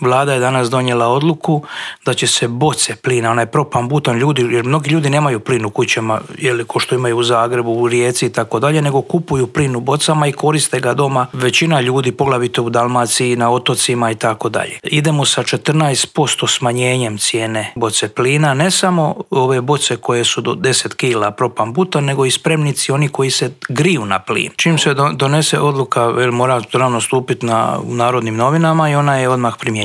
Vlada je danas donijela odluku da će se boce plina, onaj propan butan, jer mnogi ljudi nemaju plin u kućama, ko što imaju u Zagrebu, u Rijeci i tako dalje, nego kupuju plin u bocama i koriste ga doma. Većina ljudi, poglavito u Dalmaciji, na otocima i tako dalje. Idemo sa 14% smanjenjem cijene boce plina, ne samo ove boce koje su do 10 kila propan butan, nego i spremnici oni koji se griju na plin. Čim se donese odluka, mora ravno stupiti u Narodnim novinama i ona je odmah primjenjena.